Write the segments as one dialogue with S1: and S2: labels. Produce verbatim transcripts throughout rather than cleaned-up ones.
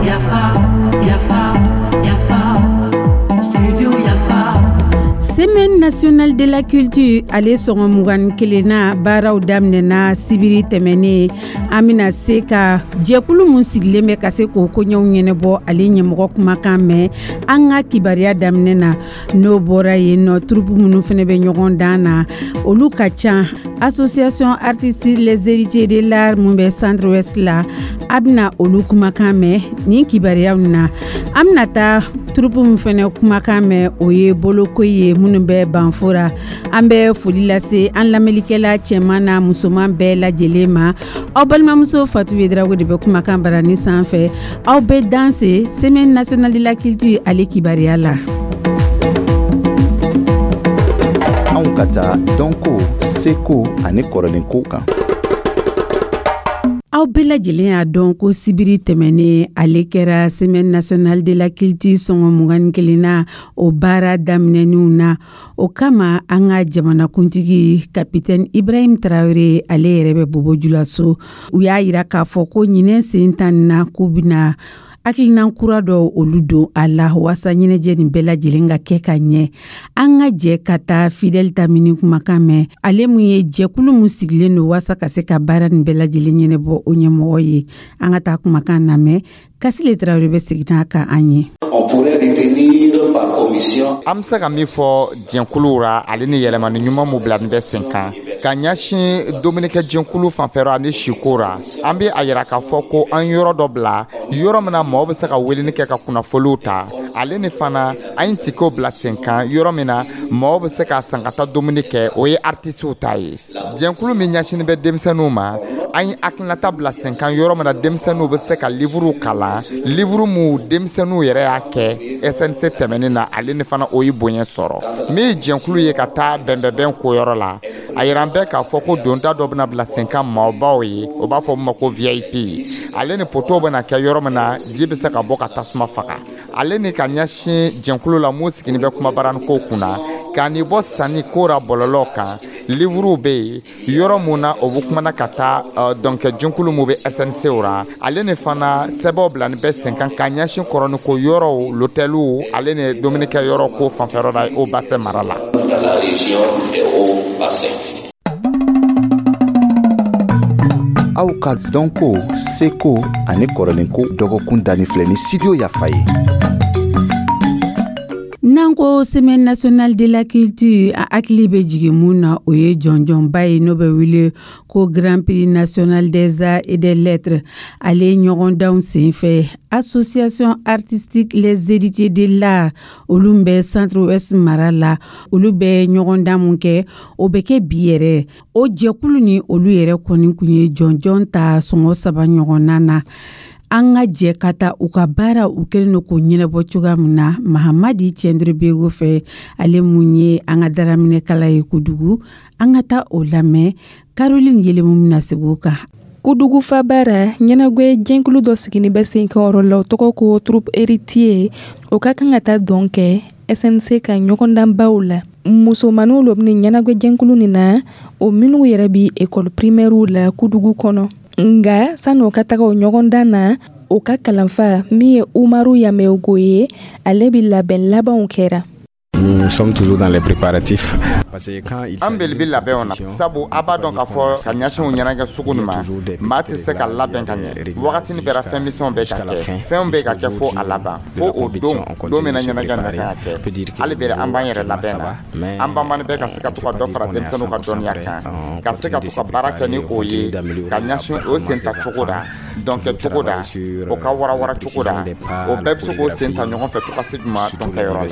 S1: Yafa, yafa, yafa, studio Yafa.
S2: Semaine nationale de la culture, ale sɔngɔ mugan kelenna baaraw daminɛna sibiri tɛmɛnen. An bɛna se ka jɛkulu mun sigilen bɛ ka se k'o koɲɛw ɲɛnabɔ, ale ɲɛmɔgɔ kumakan mɛn an ka kibaruya daminɛ na. N'o bɔra yen nɔ, troupe minnu fana bɛ ɲɔgɔn dan na, olu ka ca. Association artistique Les Héritiers de l'Art mun bɛ Centre Ouest la, a bɛna olu kumakan mɛn nin kibaruyaw na. An bɛna taa troupe min fana kumakan mɛn, o ye boloko ye minnu bɛ Banfora. An bɛ foli lase an lamɛnlikɛla cɛman n'a musoman bɛɛ lajɛlen ma. Aw balimamuso Fatu Yedrago de bɛ kumakan barani sanfɛ. Aw bɛ danse Semaine nationale de la culture ale kibaruya la.
S3: Anw ka taa dɔnko, seko ani kɔrɔlenko kan.
S2: Aw bɛɛ lajɛlen y'a dɔn ko sibiri tɛmɛnen, ale kɛra Semaine nationale de la culture sɔngɔ mugan kelenna, o baara daminɛninw na. O kama, an ka jamanakuntigi Kapitɛni Ibrahim Tarawele, ale yɛrɛ bɛ Bobo Julaso. U y'a yira k'a fɔ ko ɲinɛ sen tan na, k'u bɛna hakilina kura dɔw olu don a la waasa ɲɛnajɛ nin bɛɛ lajɛlen ka kɛ ka ɲɛ. An ka jɛ ka taa Fidɛli Tamini kumakan mɛn, ale mun ye jɛkulu mun sigilen don waasa ka se ka baara nin bɛɛ lajɛlen ɲɛnabɔ, o ɲɛmɔgɔ ye. An ka taa kumakan lamɛn. Kasile Tarawele bɛ segin n'a kan an ye.
S4: An bɛ se ka min fɔ jɛnkuluw ra, ale ni yɛlɛmani ɲuman mun bila nin bɛ sen kan ka ɲɛsin dumunikɛ jɛnkulu fanfɛrɔ ani siko ra, an bɛ a yira k'a fɔ ko an yɔrɔ dɔ bila, yɔrɔ min na mɔgɔw bɛ se ka weleli kɛ ka kunnafoniw ta. Ale ni fana, an ye tikew bila sen kan, yɔrɔ min na mɔgɔw bɛ se ka san ka taa dumuni kɛ, o ye artisiw ta ye. Jɛnkulu min ɲɛsinnen bɛ denmisɛnninw ma, an ye hakilinata bila sen kan, yɔrɔ min na denmisɛnninw bɛ se ka livuruw kalan, livuru mun denmisɛnninw yɛrɛ y'a kɛ S N C tɛmɛnen na, ale ni fana o ye bonya sɔrɔ. Min ye jɛnkulu ye ka taa bɛnbɛnbɛn ko yɔrɔ la, a yira an bɛɛ k'a fɔ ko donda dɔ bɛna bila sen kan maabaw ye, o b'a fɔ min ma ko V I P. Ale ni poteau bɛna kɛ yɔrɔ min na ji bɛ se ka bɔ ka tasuma faga. Ale ni ka ɲɛsin jɛnkulu la mun sigilen bɛ kumabarani ko kunna k'a ni bɔ sanni ko ra bɔlɔlɔ kan, livuruw bɛ yen, yɔrɔ mun na o bɛ kumana ka taa dɔnkɛ jɛnkulu mun bɛ S N C ra. Ale ni fana, sɛbɛnw bila ni bɛ sen kan ka ɲɛsin kɔrɔni ko yɔrɔw, lotɛliw, ale ni dumunikɛ yɔrɔ ko fanfɛyɔrɔ la o basɛ mara la.
S3: Aw ka dɔnko, seko ani kɔrɔlenko dɔgɔkun danni filɛ ni Studio Yafa ye.
S2: N'an ko Semaine nationale de la culture, a hakili bɛ jigin mun na, o ye jɔnjɔnba ye n'o bɛ wele ko Grand Prix national des arts et des lettres. Ale ɲɔgɔndanw senfɛ, Association artistique Les Héritiers de l'Art, olu bɛ Centre Ouest mara la, olu bɛ ɲɔgɔndan mun kɛ, o bɛ kɛ bi yɛrɛ. O jɛkulu ni olu yɛrɛ kɔni kun ye jɔnjɔn ta sɔngɔ saba ɲɔgɔnna na. An ka jɛ ka taa u ka baara, u kɛlen don k'o ɲɛnabɔ cogoya min na, Mahamadi Cɛndiri fɛ, ale mun ye an ka daraminɛkala ye Kudugu. An ka taa o lamɛn. Caroline Yelemu bɛna segin o kan.
S5: Kudugu fabara ɲɛnagwɛ jɛnkulu dɔ sigini bɛ sen kan yɔrɔ la, o tɔgɔ ko Troupe Héritier. O ka kan ka taa dɔn kɛ S N C ka ɲɔgɔndanbaw la. Musomaninw lo bɛ ɲɛnagwɛ jɛnkulu nin na, o minnu yɛrɛ bi école primaire la Kudugu kɔnɔ. Nga sani o ka taga o ɲɔgɔndan na, o ka kalanfa min ye Umaru Yamego ye, ale bi labɛn labanw kɛra.
S6: Nous sommes toujours dans les préparatifs. Parce que quand il
S4: An bɛli bɛ labɛnw na, sabu a b'a dɔn k'a fɔ ka ɲɛsin o ɲɛnajɛ sugu nin ma, maa tɛ se ka labɛn ka ɲɛ. Wagatini bɛɛ fɛn misɛnw bɛ ka kɛ, fɛnw bɛ ka kɛ fo a laban, fo o don, don min na ɲɛnajɛ nin ka kan ka kɛ. Hali bi an b'an yɛrɛ labɛn na. An banbani bɛ ka se ka to ka dɔ fara denmisɛnninw ka dɔnniya kan, ka se ka to ka baara kɛ ni o ye ka ɲɛsin o sen ta cogo da, dɔnkɛ cogo da, o ka warawara cogo da, o bɛɛ bɛ se k'o sen ta ɲɔgɔn fɛ to ka se juma dɔnkɛyɔrɔ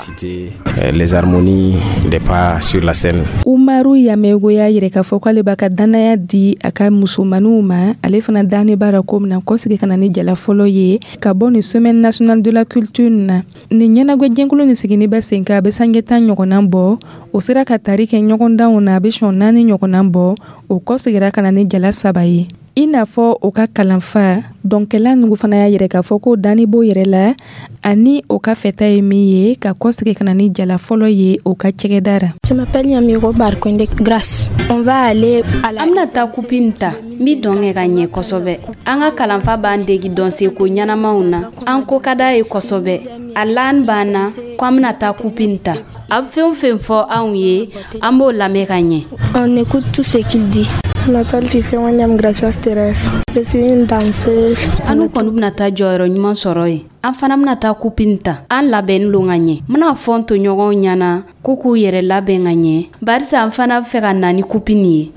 S6: la. Les harmonies des pas sur la scène.
S5: Umaru Yamego y'a yira k'a fɔ k'ale b'a ka danaya di a ka musomaninw ma. Ale fana dani b'a la ko min na kɔsigi ka na ni jala fɔlɔ ye ka bɔ nin Semaine nationale de la culture na. Nin ɲɛnagwɛ jɛnkulu nin sigini bɛ sen kan, a bɛ sange tan ɲɔgɔnna bɔ. O sera ka tari kɛ ɲɔgɔndanw na, a bɛ sɔn naani ɲɔgɔnna bɔ. O kɔsegira ka na ni jala saba ye. I n'a fɔ o ka kalanfa dɔnkɛla nugu fana y'a yɛrɛ k'a fɔ ko danni b'o yɛrɛ la ani o ka fɛta ye min ye ka kɔsegin ka na ni jala fɔlɔ ye o ka cɛgɛda ra.
S7: Je m'appelle Yamiro Barkonde Grâce. On va aller à la
S8: An bɛna taa kupi nin ta. N bi dɔn kɛ ka ɲɛ kosɛbɛ. An ka kalanfa b'an degi dɔnseko ɲɛnamaw na. An ko ka d'a ye kosɛbɛ. A laan b'an na ko an bɛna taa kupi nin ta. A bɛ fɛn o fɛn fɔ anw ye, an b'o lamɛn ka ɲɛ.
S7: On écoute tout ce qu'il dit.
S9: Je m'appelle Tissé William Gracias Thérèse. Je suis une danseuse.
S8: Anu kɔni bɛna taa jɔyɔrɔ ɲuman sɔrɔ yen. An fana bɛna taa kupi nin ta. An labɛnni lo ka ɲɛ. N bɛna fɔ n tɔɲɔgɔnw ɲɛna k'u k'u yɛrɛ labɛn ka ɲɛ, barisa an fana bɛ fɛ ka na ni kupi nin ye.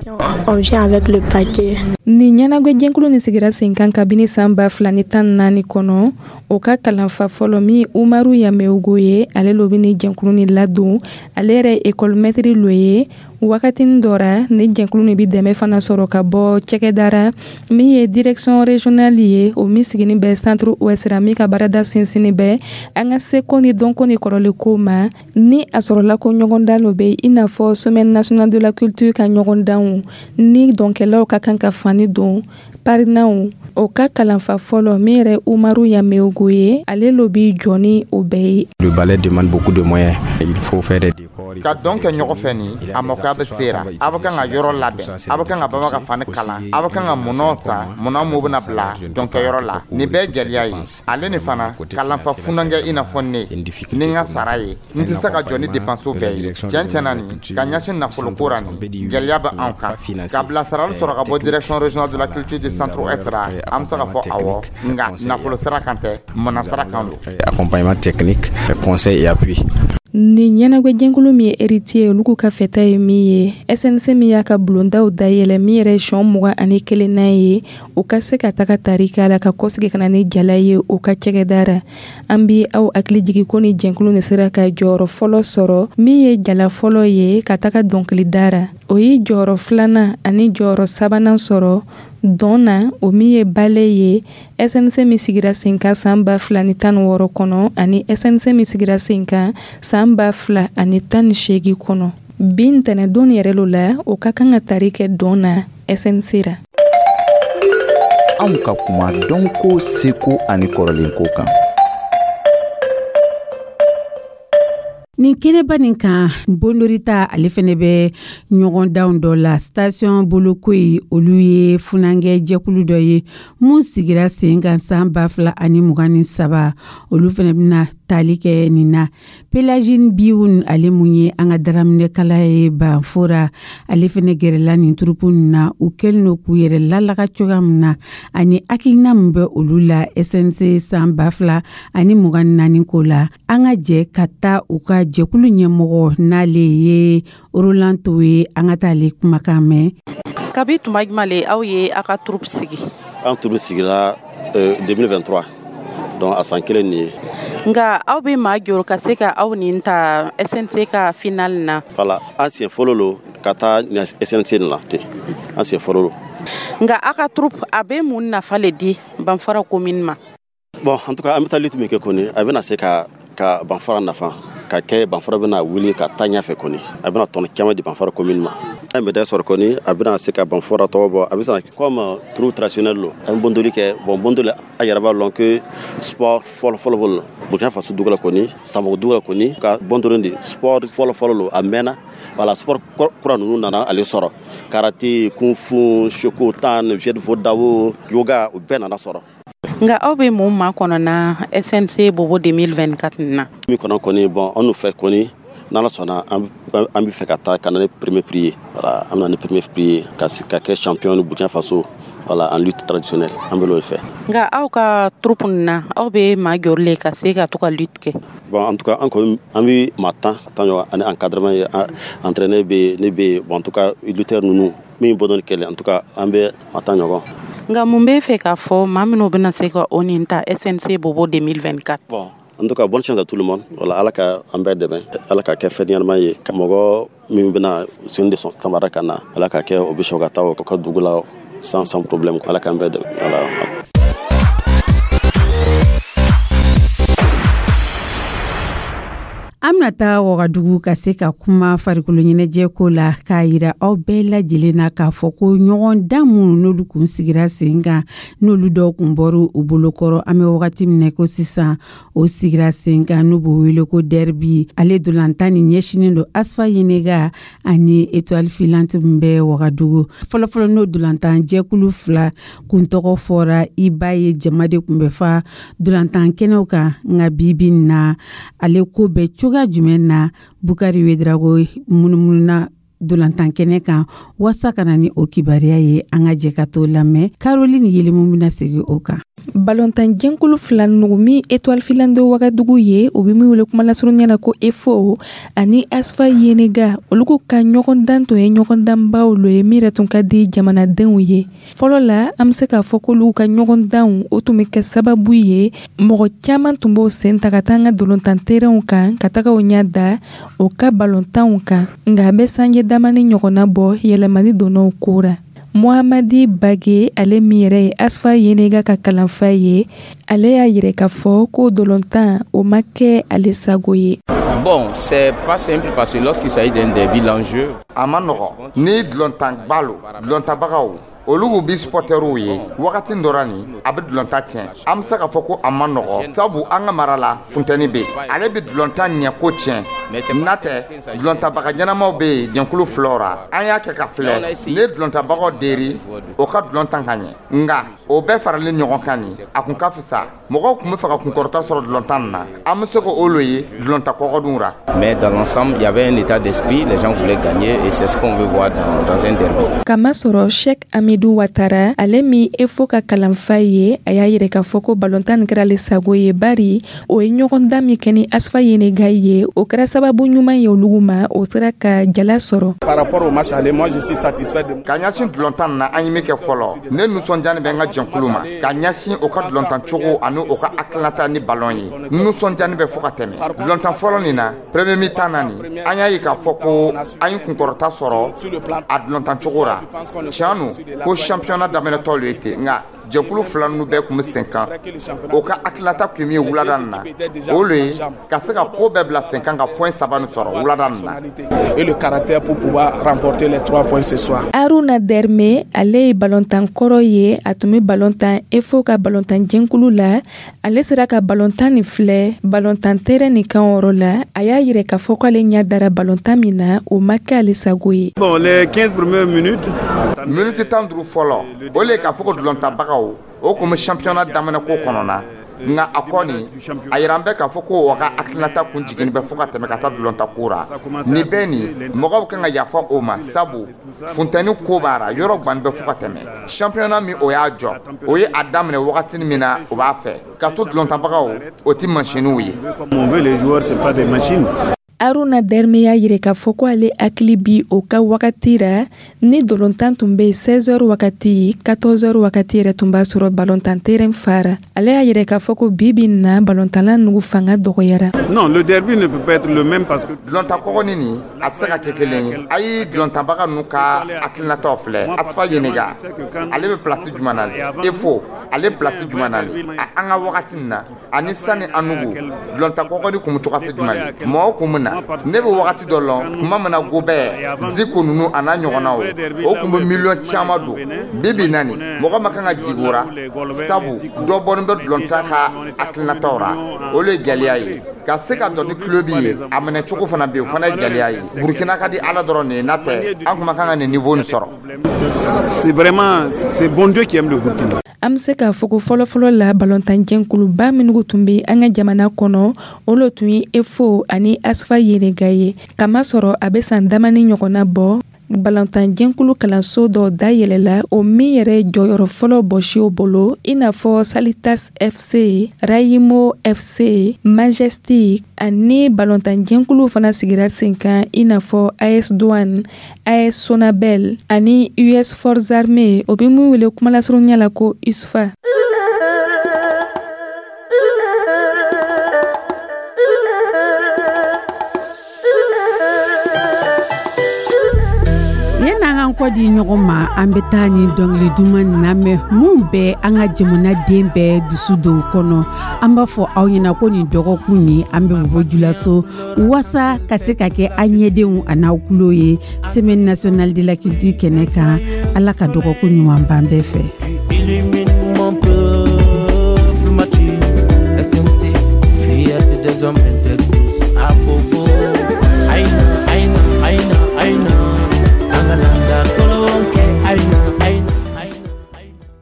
S9: On vient avec le paquet.
S5: Nin ɲɛnagwɛ nin sigira sen kan kabini san ba fila ni tan naani kɔnɔ. O ka kalanfa fɔlɔ min Umaru Yameogo ye, ale lo bɛ ni jɛnkulu ni ladon. Ale yɛrɛ école maître lo ye. Wagatinin dɔ ra, ni jɛnkulu nin bi dɛmɛ fana sɔrɔ ka bɔ cɛkɛdara min ye direction régionale ye, o min sigini bɛ Centre Ouest ra, min ka baarada sinsinni bɛ an ka seko ni dɔnko ni kɔrɔlenko ma. Ni a sɔrɔla ko ɲɔgɔndan lo bɛ, i n'a fɔ Semaine nationale de la culture ka ɲɔgɔndanw ni dɔnkɛlaw ka kan ka fani don parinaw, o ka kalanfa fɔlɔ min yɛrɛ Umaru Yameogo ye, ale lo bi jɔ ni o bɛɛ ye.
S6: Le ballet demande beaucoup de moyens. Il faut faire des décors.
S4: Ka dɔn kɛ ɲɔgɔn fɛ nin, a makoya bɛ sera. A bɛ kan ka yɔrɔ labɛn, a bɛ kan ka baba ka fani kalan, a bɛ kan ka mɔnɔ ta, mɔnɔ mun bɛna bila dɔnkɛyɔrɔ la. Nin bɛɛ gɛlɛya ye. Ale ni fana kalanfa funankɛ i n'a fɔ ne ni n ka sara ye, n tɛ se ka jɔ ni dépenses bɛɛ ye. Tiɲɛ tiɲɛ na, nin ka ɲɛsin nafoloko ra, nin gɛlɛya bɛ anw kan. Ka bilasirali sɔrɔ ka bɔ Direction régionale de la culture du Centre Ouest ra, an bɛ se ka fɔ awɔ, nka nafolo sira kan tɛ, mɔnɔ sira kan don.
S6: Accompagnement technique, conseil et appui.
S5: Nin ɲɛnagwɛjɛnkulu min ye héritier, olu k'u ka fɛta ye min ye, S N C min y'a ka bulondaw dayɛlɛ, min yɛrɛ ye sɔn mugan ani kelenna ye, o ka se ka taga tari k'a la ka kɔsigi ka na ni jala ye o ka cɛgɛda ra. An bi aw hakili jigi ko ni jɛnkulu nin sera ka jɔyɔrɔ fɔlɔ sɔrɔ, min ye jala fɔlɔ ye ka taga dɔnkilida ra. O ye jɔyɔrɔ filanan ani jɔyɔrɔ sabanan sɔrɔ dɔn na, o min ye ballet ye, S N C min sigira sen kan san ba fila ni tan ni wɔɔrɔ kɔnɔ ani S N C min sigira sen kan san ba fila ani tan ni seegin kɔnɔ. Bi ntɛnɛdon yɛrɛ lo la, o ka kan ka tari kɛ dɔn na S N C ra.
S3: Anw ka kuma dɔnko, seko ani kɔrɔlenko kan.
S2: Nin kɛnɛba nin kan, Bondorita ale fɛnɛ bɛ ɲɔgɔndanw dɔ la. Station Bolokoyi, olu ye funankɛ jɛkulu dɔ ye mun sigira sen kan san ba fila ani mugan ni saba. Olu fɛnɛ bɛna tali kɛ nin na. Pelagine Biwun, ale mun ye an ka daraminɛkala ye Banfora, ale fɛnɛ gɛrɛla nin troupe nin na. U kɛlen don k'u yɛrɛ lalaga cogoya min na ani hakilina min bɛ olu la S N C san ba fila ani mugan ni naani ko la, an ka jɛ ka taa u ka jɛkulu ɲɛmɔgɔ, n'ale ye Roland To ye, an ka taa ale kumakan mɛn.
S10: Kabi tuma jumɛn le aw ye aw ka troupe sigi?
S11: An troupe sigira euh, deux mille vingt-trois, donc a san kelen nin ye.
S10: Nka aw bɛ maa jɔ ka se ka aw nin ta S N C ka final na?
S11: Voilà, an siɲɛ fɔlɔ lo ka taa S N C nin la ten, an siɲɛ fɔlɔ lo.
S10: Nka aw ka troupe, a bɛ mun nafa le di Banfara commune ma?
S11: Bon, en tout cas, an bɛ taa lutte min kɛ kɔni, a bɛna se ka ka Banfara nafa ka kɛ. Banfara bɛna wuli ka taa ɲɛfɛ kɔni, a bɛna tɔnɔ caman di Banfara commune ma. An ye médaille sɔrɔ kɔni, a bɛna se ka Banfara tɔgɔ bɔ. A bɛ se comme troupe traditionnelle lo, an bɛ bondoli kɛ. Bon, bondoli, a yɛrɛ b'a lɔn que sport fɔlɔ fɔlɔ fɔlɔ Burkina Faso dugu la kɔni, Sanfogo dugu la kɔni, ka bondoli de sport fɔlɔ fɔlɔ lo. A mɛnna. Voilà, sport kura ninnu nana ale sɔrɔ, karaté, kung fu, shokotan, jeet kune do, yoga, o bɛɛ nana sɔrɔ.
S10: Nka aw bɛ mun ma kɔnɔ na S N C Bobo deux mille vingt-quatre na?
S11: Min kɔnɔ kɔni, bon, an n'u fɛ kɔni, n'Ala sɔnna, an bɛ fɛ ka taa ka na ni premier prix ye. Voilà, an bɛ na ni premier prix ye ka ka kɛ champion Burkina Faso, voilà, en lutte traditionnelle, an bɛ l'o fɛ.
S10: Nka aw ka troupe nin na, aw bɛ maa joli le ka se ka to ka lutte kɛ?
S11: Bon, en tout cas, an kɔni, an bɛ maa tan tan ɲɔgɔn ani encadrement ye, entraîneur bɛ yen, ne bɛ yen. Bon, en tout cas, lutteur ninnu min bɔdɔn kɛlɛ, en tout cas, an bɛ maa tan ɲɔgɔn.
S10: Nka mun bɛ fɛ k'a fɔ maa minnu bɛna se ka o nin ta S N C Bobo deux mille vingt-quatre?
S11: Bon, en tout cas, bonne chance à tout le monde. Voilà, Ala ka an bɛɛ dɛmɛ, Ala ka kɛ fɛn ɲɛnama ye ka mɔgɔ min bɛna sen de sɔn samara ka na, Ala ka kɛ o bɛ sɔn ka taa o ka dugu la sans sans problème. Ala k'an bɛɛ dɛmɛ, voilà.
S2: An bɛna An bɛna taa Wagadugu ka se ka kuma farikolo ɲɛnajɛ ko la, k'a yira aw bɛɛ lajɛlen na k'a fɔ ko ɲɔgɔn dan minnu n'olu kun sigira sen kan, n'olu dɔw kun bɔra u bolokɔrɔ, an bɛ wagati min na ko sisan, o sigira sen kan, n'u b'o wele ko derby. Ale dolantan nin ɲɛsinen don ASFA Yennenga ani Étoile Filante min bɛ Wagadugu. Fɔlɔfɔlɔ, n'o dolantan jɛkulu fila kun tɔgɔ fɔra, i b'a ye jama de kun bɛ fa dolantan kɛnɛw kan. Nka bi bi na, ale ko bɛ cogoya jumɛn na? Bukari Wedrago munumununa dolantan kɛnɛ kan waasa ka na ni o kibaruya ye. An ka jɛ ka t'o lamɛn. Caroline Yelimu bɛna segin o kan.
S5: Balontan jɛnkulu fila nugu min Étoile Filante Wagadugu ye, o bɛ min wele kuma lasurunya la ko EFO, ani ASFA Yennenga, olu ka ɲɔgɔndan tun ye ɲɔgɔndanbaw lo ye min yɛrɛ tun ka di jamanadenw ye. Fɔlɔ la, an bɛ se k'a fɔ k'olu ka ɲɔgɔndanw, o tun bɛ kɛ sababu ye mɔgɔ caman tun b'o sen ta ka taa an ka dolontan terrainw kan, ka taga o ɲɛ da o ka balontanw kan. Nka a bɛ sanjɛ damani ɲɔgɔnna bɔ, yɛlɛmani donna o ko ra. Mohamadi Bage, ale min yɛrɛ ye ASFA Yennenga ka kalanfa ye, ale y'a yira k'a fɔ ko dolontan o ma kɛ ale sago ye.
S12: Bon, c'est pas simple parce que lorsqu'il s'agit d'un derby, l'enjeu.
S4: A ma nɔgɔ ni dulɔntanba lo, dulɔntabagaw olu bi supporteriw ye wagati dɔ ra nin, a bɛ dulɔnta tiɲɛ. An bɛ se k'a fɔ ko a ma nɔgɔ, sabu an ka mara la, funtɛni bɛ yen, ale bɛ dulɔntan ɲɛ ko tiɲɛ. N'a tɛ, dulɔntabaga ɲɛnamaw bɛ yen jɛnkulu filaw ra. An y'a kɛ ka filɛ, ne dulɔntabagaw deri o ka dulɔntan ka ɲɛ, nka o bɛɛ faralen ɲɔgɔn kan nin, a kun ka fisa mɔgɔw tun bɛ fɛ ka kunkɔrɔta sɔrɔ dulɔntan nin na. An bɛ se k'o lo ye dulɔnta kɔgɔdunw ra.
S12: Mais dans l'ensemble, il y avait un état d'esprit, les gens voulaient gagner et c'est ce qu'on veut voir dans, dans un derby.
S5: Kamasɔrɔ Sheikh Amidou Watara, ale min EFO ka kalanfa ye, a y'a yira k'a fɔ ko balontan nin kɛra ale sago ye, bari o ye ɲɔgɔndan min kɛ ni ASFA Yennenga ye, o kɛra sababu ɲuman ye olugu ma, o sera ka jala sɔrɔ.
S13: Par rapport au match aller, moi je suis satisfait de
S4: Ka ɲɛsin dulɔntan na, an ye min kɛ fɔlɔ, ne nisɔndiyani bɛ n ka jɛnkulu ma ka ɲɛsin o ka dulɔntan cogo ani o ka hakilinata ni balɔn ye. Nisɔndiyani bɛ fo ka tɛmɛ dulɔntan fɔlɔ nin na. Premier mi-temps na nin, an y'a ye k'a fɔ ko an ye kunkɔrɔta sɔrɔ a dulɔntan cogo ra. Tiɲɛ no ko championnat daminɛtɔ lo ye ten, nka jɛnkulu fila ninnu bɛɛ tun bɛ sen kan. O ka hakilinata tun ye min ye wulada nin na, o le ye ka se ka ko bɛɛ bila sen kan ka point saba nin sɔrɔ wulada nin na.
S13: Et le caractère pour pouvoir remporter les trois points ce soir.
S5: Aruna Derme, ale ye balontan kɔrɔ ye, a tun bɛ balontan EFO ka balontan jɛnkulu la. Ale sera ka balontan nin filɛ balontan terrain nin kan yɔrɔ la. A y'a yira k'a fɔ k'ale ɲɛ dara balontan min na, o ma kɛ ale sago ye.
S13: Bon, les quinze premières minutes.
S4: Miniti tan duuru fɔlɔ, o le ye k'a fɔ ko dulɔntabagaw o kun bɛ championnat daminɛ ko kɔnɔ na. Nka a kɔni a yira an bɛɛ k'a fɔ ko o ka hakilinata kun jiginni bɛ fo ka tɛmɛ ka taa dulɔnta ko ra. Nin bɛɛ nin, mɔgɔw kan ka yafa o ma, sabu funtɛni ko b'a ra, yɔrɔ gbani bɛ fo ka tɛmɛ. Championnat min o y'a jɔ, o ye a daminɛ wagati min na, o b'a fɛ ka to dulɔntabagaw, o ti masiniw ye.
S13: Comme on veut, les joueurs, c'est pas des machines.
S5: Aruna Derme y'a yira k'a fɔ ko ale hakili bi o ka wagati ra, ni dolontan tun bɛ seize heures wagati, quatorze heures wagati yɛrɛ tun b'a sɔrɔ balontan terrain fara. Ale y'a yira k'a fɔ ko bi bi in na, balontanla nugu fanga dɔgɔyara.
S13: Non, le derby ne peut pas être le même parce que
S4: Dulɔnta kɔgɔni nin, a tɛ se ka kɛ kelen ye. A ye dulɔntanbaga ninnu ka hakilinataw filɛ. ASFA Yennenga, ale bɛ place jumɛn na le? EFO, ale place jumɛn na le? A an ka wagati nin na ani sani an nugu, dulɔnta kɔgɔni kun bɛ cogoya se jumɛn le? Mɔgɔw kun bɛ na. Ne bɛ wagati dɔ lɔn tuma min na, Gobert Ziko ninnu a n'a ɲɔgɔnnaw, o kun bɛ miliyɔn caman don. Bi bi na nin, mɔgɔ ma kan ka jigin o ra, sabu dɔ bɔlen bɛ dulɔntan ka hakilinataw ra. O le ye gɛlɛya ye ka se ka dɔn ni club ye, a minɛ cogo fana bɛ yen, o fana ye gɛlɛya ye. Burukina ka di Ala dɔrɔn de ye, n'a tɛ an kun ma kan ka nin niveau nin sɔrɔ.
S13: C'est vraiment, c'est bon Dieu qui aime le Burkina.
S5: An bɛ se k'a fɔ ko fɔlɔfɔlɔ la, balontan jɛnkuluba minnu tun bɛ an ka jamana kɔnɔ, o le tun ye EFO ani ASFA Yennenga ye. Kamasɔrɔ a bɛ san damani ɲɔgɔnna bɔ, balontan jɛnkulu kalanso dɔ dayɛlɛla, o min yɛrɛ jɔyɔrɔ fɔlɔ bɔsi o bolo, i n'a fɔ Salitas F C, Rayimo F C, Majestic, ani balontan jɛnkulu fana sigira sen kan, i n'a fɔ A S Douane, A S Sonabel ani U S Forces Armées, o bɛ min wele kumalasurunya la ko USFA.
S2: Yan'an ka Yan'an kɔ di ɲɔgɔn ma, an bɛ taa ni dɔnkili duman lamɛn mun bɛ an ka jamanaden bɛɛ dusu don kɔnɔ. An b'a fɔ aw ɲɛna ko nin dɔgɔkun nin, an bɛ Bobo Julaso wasa ka se ka kɛ an ɲɛdenw a n'aw tulo ye Semaine nationale de la culture kɛnɛ kan. Ala ka dɔgɔkun ɲuman ban bɛɛ fɛ.
S14: Illumine mon peuple mature. S N C, fierté des hommes.